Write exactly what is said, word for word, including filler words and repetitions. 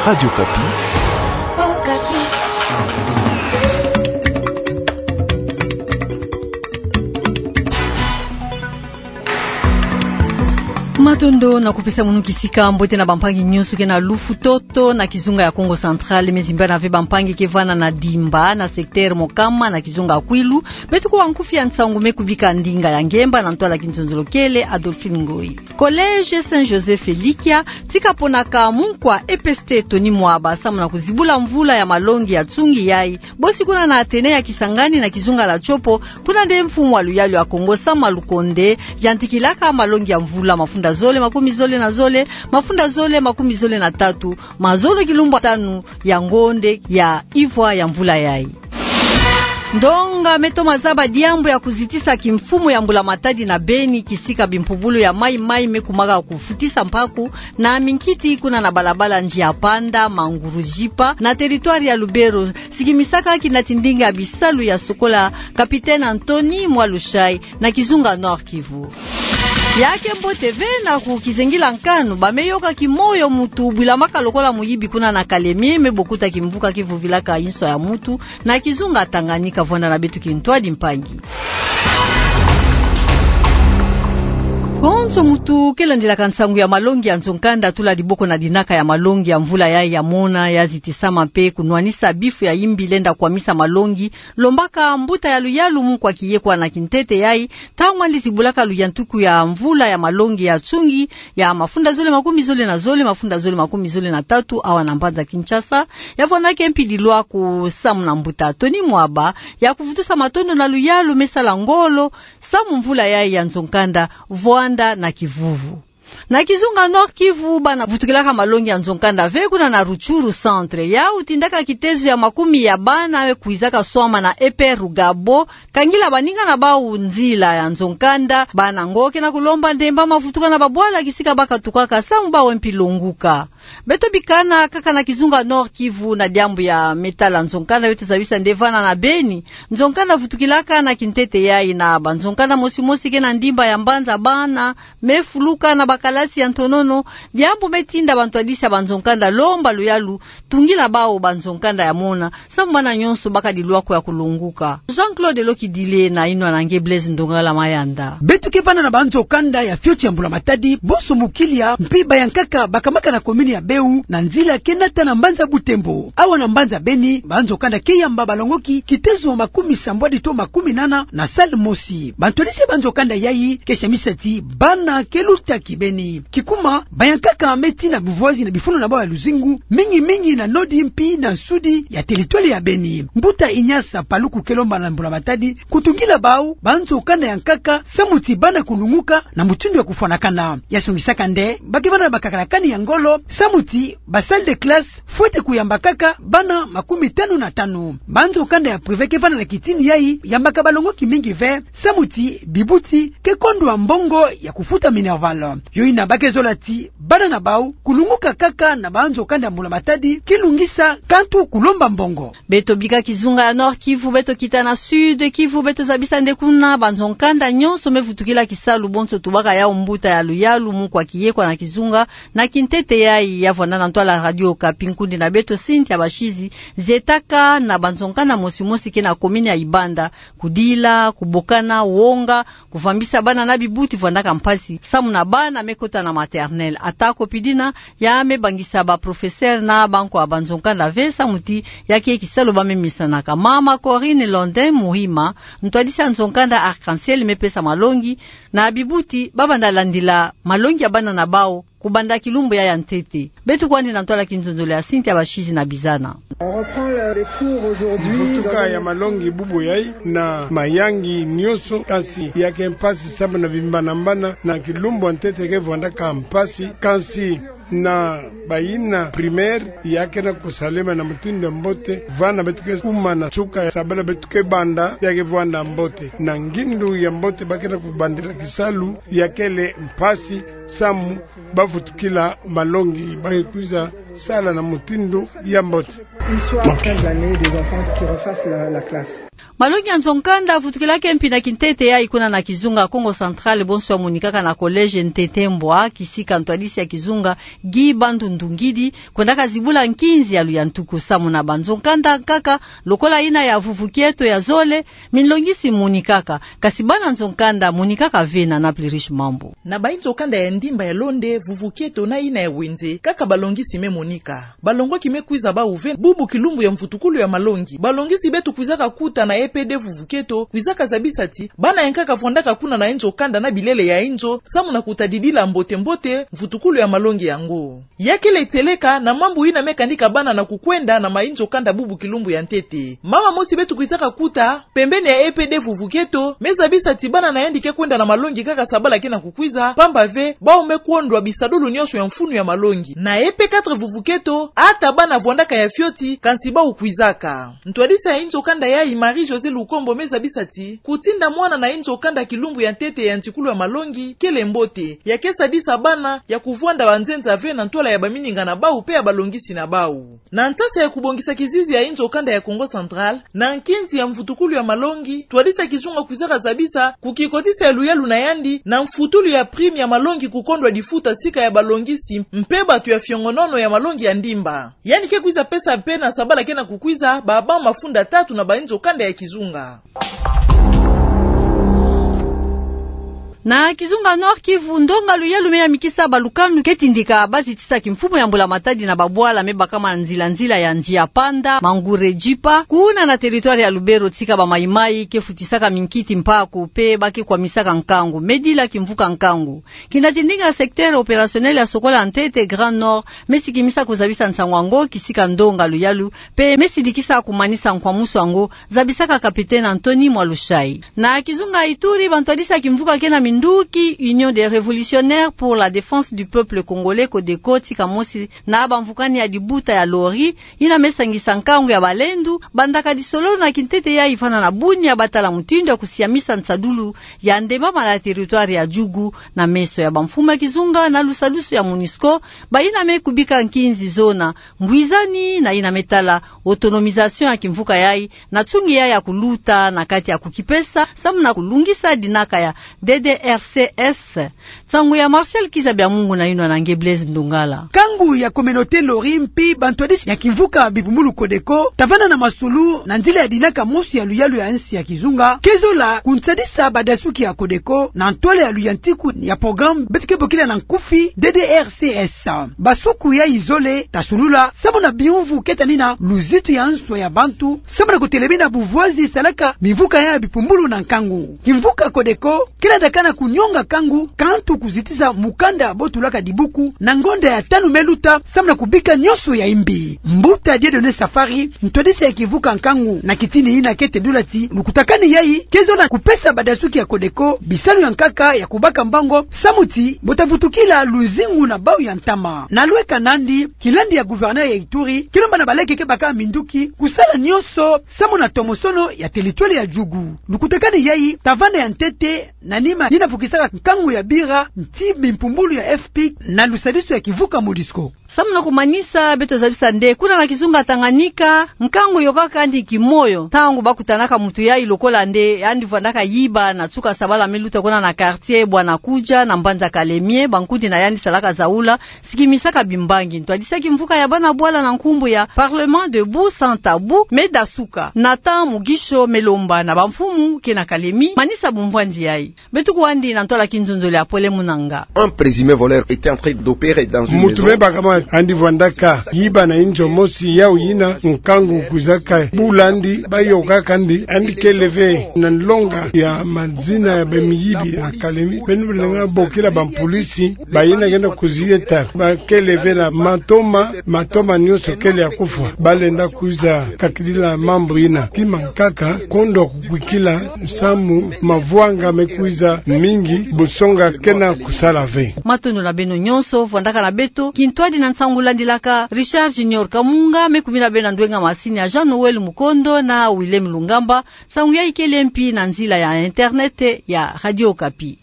Radio Okapi. Matondo na kupesa munu kisika mbote na bampangi nyonso ke na lufu toto na kizunga ya Kongo Central, me zimbana ve bampangi ke vwanda na Dimba, na secteur Mokama, na kizunga Kwilu. Beto kuwa nkufi ya nsangu me kubika ndinga ya ngemba na ntwala kinzonzolo kele Adolphine Ngoyi. Collège Saint Joseph Elikia, ti kaponaka munkwa E P S T Tony Mwaba samu na kuzibula mvula ya malongi ya nsungi yai, bosi kuna na Athénée ya Kisangani na kizunga la Tshopo, kuna nde mfumu wa luyalu ya Kongo Sama Lukonde yantikilaka malongi ya mvula mafunda zole makumi zole na zole, mafunda zole makumi zole na tatu, mazono kilumbu tanu ya ngonde ya ivwa ya mvula yai. Ndonga me toma zaba diambu ya kuzitisa kimfumu ya mbula matadi na beni, kisika bimpubulu ya mayi-mayi me kumaka kufutisa mpaku na minkiti kuna na balabala Nzila Panda, Mangouroujipa, na territoire ya Lubero, sikimisaka kina tindinga ya bisalu ya sokola Capitaine Anthony Mwalushai, na kizunga Nord-Kivu. Ya ke mbote ve na ku kizengila nkanu, ba me yoka kimoyo mutu bwilamaka lokola muyibi kuna na Kalemie, me bokuta kimvuka kivuvilaka inswa ya mutu, na kizunga Tanganyika. Vwanda na beto kintwadi mpangi. Konso mutu ke landilaka nsangu ya malongi ya nzo-nkanda, tula diboko na dinaka ya malongi ya mvula yai ya mona, ya zitisama mpe kunwanisa bifu ya imbi lenda kwamisa malongi, lombaka mbuta ya luyalu Mukwa Kiyekwa na kintete yai, ntangu andi zibulaka luyantiku ya mvula ya malongi ya nsungi ya mafunda zole makumi zole na zole, mafunda zole makumi zole na tatu, awa na mbanza Kinshasa, ya vwandaka mpi dilwaku samu na mbuta Tony Mwaba ya kuvutusa matondo na luyalu me sala ngolo samu mvula yai ya nzo-nkanda vwanda na kivuvu. Na kizunga Nord-Kivu, bana vutukilaka malongi ya nzo-nkanda ve kuna na Rutshuru Centre. Yau tindaka kitezo ya makumi ya bana we kwizaka swama na E P R Rugabo, kangila baninga na bau nzila ya nzo-nkanda. Bana ngo ke na kulomba ndemba mavutuka na babwala kisika ba katukaka samu bau mpi longuka. Beto bikana kaka na kizunga Nord-Kivu na diambu ya me tala nzo-nkanda, beto zabisa nde vana na Beni. Nzo-nkanda vutukilaka na kintete yai na banzo-nkanda mosi-mosi ke na ndimba ya mbanza bana me fuluka na bakalasi ya ntonono, diambu me tinda bantwadisi ya banzo-nkanda lomba luyalu tungila bau banzo-nkanda ya mona, samu bana nyonso baka dilwaku ya kulonguka. Jean-Claude Lokidile na inwa na nge Blaise Ndongala Mayanda. Beto ke vana na banzo-nkanda ya fioti ya mbula matadi, bonso mukilia, mpi bayankaka bakamaka na commune ya Beu, na nzila ke nata na mbanza Butembo. Awa na mbanza Beni, banzo-nkanda ke yamba balongoki kitezo makumi sambwadi to makumi nana na salle mosi. Bantwadisi ya banzo-nkanda yai ke samisa ti bana ke luta kibeni. Kikuma, bayankaka me tina buvoizi na bifulu na bau ya luzingu, mingi-mingi na nodi mpi na nsudi ya territoire ya Beni. Mbuta Ignace Paluku ke lomba na mbula matadi kutungila bau banzo-nkanda ya nkaka, samu ti bana kulunguka na mutindu ya kufwanakana. Ya songisaka nde ba ke vana na bakakalakani ya ngolo, samu ti ba salle de classe fwete kuyamba kaka bana makumi tanu na tanu. Banzo-nkanda ya privé ke vana na kitini yai yambaka balongoki mingi ve, samu ti bibuti ke kondwa mbongo ya kufuta minerval. Yo ina ba ke zola ti bana na bau kulunguka kaka na banzo-nkanda ya mbula matadi, kilungisa kantu kulomba mbongo. Beto bika kizunga ya Nord-Kivu, beto kita na Sud-Kivu, beto zabisa nde kuna banzo-nkanda nyonso me vutukila kisalu, bonso tubaka yau mbuta ya luyalu Mukwa Kiyekwa na kizunga, na kintete yai ya vwanda na ntwala Radio Okapi, nkundi na beto Cynthia Bashizi, zietaka na banzo-nkanda mosi-mosi ke na commune ya Ibanda, kudila, kubokana, wonga, kuvambisa bana na bibuti vwandaka mpasi, samu na bana me kota na maternelle. Ata ko mpi dina, ya me bangisa ba professeur na bankwa banzo-nkanda ve, samu ti ya ke kisalu ba me misanaka. Mama Corinne Londin Muhima, ntwadisi ya nzo-nkanda Arc-en-Ciel, me pesa malongi na bibuti ba banda landila malongi ya bana na bau kubanda kilumbu ya ya ntete. Beto kwandi na ntwala kinzonzolo ya Cynthia Bashizi na bizana. Mvutuka ya malongi bubu yai na mayangi nyonso, kansi ya ke mpasi samu na bimbana-mbana, na kilumbu ya ntete ke vwandaka mpasi, kansi na bayina primaire ya ke na kusalema na mutindu ya mbote. Vana beto ke kuma na nsuka ya sabala beto ke banda, ya ke vwanda mbote. Na ngindu ya mbote ba ke na kubandila kisalu, ya kele mpasi samu ba vutukila malongi, ba ke kwiza sala na mutindu ya mbote. Histoire fin de l'année des enfants qui refassent la, la classe. Malongi ya nzo-nkanda avutukilaka mpi na kintete yayi kuna na kizunga Kongo Central, bonso ya monikaka na collège Ntete Mbwa, kisika ntwadisi ya kizunga Guy Bandu Ndungidi kwendaka zibula nkinzi ya luyantuku. Samu na banzo-nkanda nkaka, lokola yina ya vuvu kieto ya zole, minlongisi monikaka, kasi bana nzo-nkanda monikaka ve na Naples Riche Mambu. Na bayi nzo-nkanda ya ndimba ya Londe, vuvu kieto na yina ya wenze, kaka balongisi me monika. Balongoki me kwiza bawu ve bubu kilumbu ya mvutukulu ya malongi. Balongisi beto kwizaka kuta na E P D vuvu kieto kwizaka zabisa ti bana ya nkaka vwandaka kuna na nzo-nkanda na bilele ya nzo, samu na kutadidila mbote-mbote mvutukulu ya malongi yango. Ya kele tieleka na mambu yina me kanika bana na kukwenda na mayi nzo-nkanda bubu kilumbu ya ntete. Mama mosi beto kwizaka kuta pembeni ya E P D vuvu kieto me zabisa ti bana na yandi ke kwenda na malongi kaka sabala ke na kukwiza, pamba ve bawu me kondwa bisadulu nyonso ya mfunu ya malongi. Na E P quatre vuvu kieto, ata bana vwandaka ya fioti, kansi bawu kwizaka. Ntwadisi ya nzo-nkanda yayi, Marie-Josée Lukombo, me zabisa ti kutinda mwana na nzo-nkanda kilumbu ya ntete ya ntikulu ya malongi kele mbote, ya ke sadisa bana ya kuvwanda banzenza ve na ntwala ya bamininga na bawu pe ya balongisi na bawu. Na nsasa ya kubongisa kizizi ya nzo-nkanda ya Kongo Central, na nkinzi ya mvutukulu ya malongi, ntwadisi ya kizunga kwizaka zabisa kukikotisa ya luyalu na yandi na mfutulu ya prime ya malongi kukondwa difuta sika ya balongisi mpe bato ya fiongonono ya malongi ya ndimba. Yandi ke kwiza pesa mpe na sabala ke na kukwiza ba banc mafunda tatu na bayi nzo-nkanda ya kizunga. Na kizunga Nord-Kivu, ndonga luyalu me yamikisa balukanu ke tindika bazitisa kimfumu ya mbula-matadi na babwala me bakama nzila-nzila ya Nzila Panda, Mangure, Jipa, kuna na territoire ya Lubero, tika ba Mai-Mai ke futisaka minkiti mpaku pe ba ke kwamisaka nkangu, me dila kimvuka nkangu. Kina tindinga secteur opérationnel ya sokola ntete Grand Nord, me sikimisa kuzabisa nsangu yango kisika ndonga luyalu, pe me sidikisa kumanisa nkwamusu yango, zabisaka capitaine Anthony Mwalushai. Na kizunga Ituri, bantwadisi ya kimvuka ke na minduki, Union des Révolutionnaires pour la Défense du Peuple Congolais, CODECO, tika mosi na bamvukani ya libuta ya Lori, yina me sangisa nkangu ya balendu, bandaka lisolo na kintete yayi vana na Bunia, batala mutindu ya kusiamisa nsadulu ya ndembama na territoire ya Djugu na meso ya bamfumu ya kizunga na lusadusu ya MONUSCO, bayina me kubika nkinzi zona ngwizani na yina me tala autonomisation ya kimvuka yayi, na nsungi yayi ya kuluta na kati ya kukipesa samu na kulungisa dinaka ya D D R C S. Nsangu ya Martial Kiza Bya Mungu na yinwa na nge Blaise Ndungala. Nkangu ya communauté Lori mpi bantwadisi ya kimvuka bipumbulu CODECO ta vanda na masulu na nzila ya dinaka mosi ya luyalu ya nsi ya kizunga ke zola kunsadisa badasuki ya CODECO na ntwala ya luyantiku ya programme beto ke bokila na nkufi D D R C S. Basuku yayi zole ta sulula samu na biyumvu ke tani na luzitu ya nswa ya bantu samu na kutelemi na buvwazi salaka mimvuka ya bipumbulu na nkangu. Kimvuka CODECO ke landakana kunyonga nkangu, kantu kuzitisa mukanda bo tulaka dibuku na ngonda ya tanu me luta samu na kubika nyonso ya imbi. Mbuta Dieudonné Safari, ntwadisi ya kimvuka nkangu na kitini yina ke tendula ti lukutakanu yayi ke zola kupesa badasuki ya CODECO bisalu ya nkaka ya kubaka mbongo samu ti bo ta vutukila luzingu na bawu ya ntama. Na lweka nandi, kilandi ya gouverneur ya Ituri ke lomba na baleke ke baka minduki kusala nyonso samu na tomosono ya territoire ya Djugu. Lukutakanu yayi ta vanda ya ntete na nima yina vukisaka nkangu ya bira nti bimpumbulu ya F P I C na lusadusu ya kimvuka MONUSCO. Samu na kumanisa, beto zabisa nde kuna na kizunga Tanganyika, nkangu yokaka yandi kimoyo ntangu ba kutanaka muntu yayi lokola nde yandi vwandaka yiba na nsuka sabala me luta kuna na quartier Bwanakuja na mbanza Kalemie, bankundi na yandi salaka zaula, sikimisaka bimbangi. Ntwadisi ya kimvuka ya bana bwala na nkumbu ya Parlement debout sans tabou me dasuka, Nathan Mugisho, me lomba na bamfumu ke na Kalemie manisa bumvwandi yayi. Beto kwandi na ntwala kinzonzolo ya Pole Munanga. Un présumé voleur était en train d'opérer dans une maison. Muntu me bakama yandi vwandaka yiba na inzo mosi, yawu yina nkangu kwizaka bula yandi, bayokaka yandi, yandi kele ve na nlonga ya mazina ya bamiyibi na Kalemie. Beno lenda bokila bampulisi, bayina kenda kuzieta, ba kele ve na matoma, matoma nyonso kele ya kufwa. Balenda kwiza kakidila mambu yina. Kima nkaka, kondo kukwikila samu mavwanga me kwiza mingi, busonga kena kusala ve. Matondo na beno nyonso vwandaka na beto. Kintwadi na nsangu landilaka, Richard Junior Kamunga me kumina beno na ndwenga masini ya Jean Noël Mukondo na Willem Lungamba. Nsangu yayi kele mpi na nzila ya internet ya Radio Okapi.